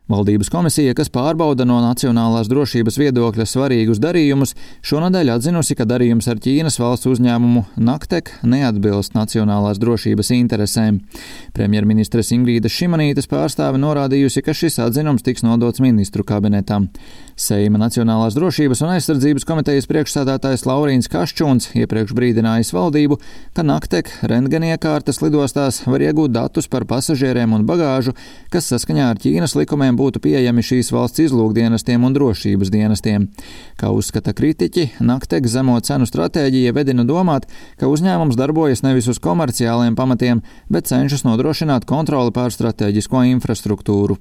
Valdības komisija, kas pārbauda no nacionālās drošības viedokļa svarīgus darījumus, šonadēļ atzinusi, ka darījums ar Ķīnas valsts uzņēmumu Naktek neatbilst nacionālās drošības interesēm. Premjerministres Ingrīdas Šimanītes pārstāve norādījusi, ka šis atzinums tiks nodots ministru kabinetam. Seima Nacionālās drošības un aizsardzības komitejas priekšsēdētājs Laurīns Kaščuns iepriekš brīdinājis valdību, ka Naktek rentgeniekārtas lidostās var iegūt datus par pasažieriem un bagāžu, kas saskaņā ar Ķīnas likumiem būtu pieejami šīs valsts izlūkdienestiem un drošības dienestiem. Kā uzskata kritiķi, Naktek zemo cenu stratēģija vedina domāt, ka uzņēmums darbojas nevis uz komerciāliem pamatiem, bet cenšas nodrošināt kontroli pār stratēģisko infrastruktūru.